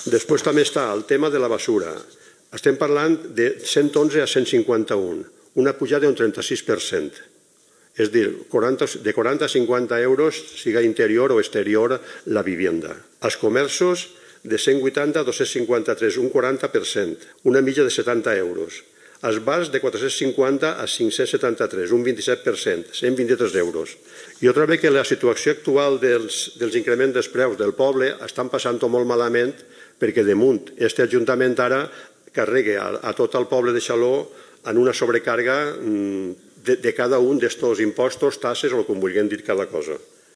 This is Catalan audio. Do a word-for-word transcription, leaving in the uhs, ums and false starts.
Després també està el tema de la basura. Estem parlant de cent onze a cent cinquanta-un, una pujada d'un trenta-sis per cent. És a dir, de quaranta a cinquanta euros, siga interior o exterior, la vivienda. Els comerços, de cent vuitanta a dos-cents cinquanta-tres, un quaranta per cent, una mitja de setanta euros. Els bars de quatre-cents cinquanta a cinc-cents setanta-tres, un vint-i-set per cent, cent vint-i-tres euros. I otra vegada que la situació actual dels, dels increments dels preus del poble estan passant molt malament perquè damunt este Ajuntament ara carrega a, a tot el poble de Xaló en una sobrecàrrega de, de cada un d'estos impostos, tasses o com vulguem dir cada cosa.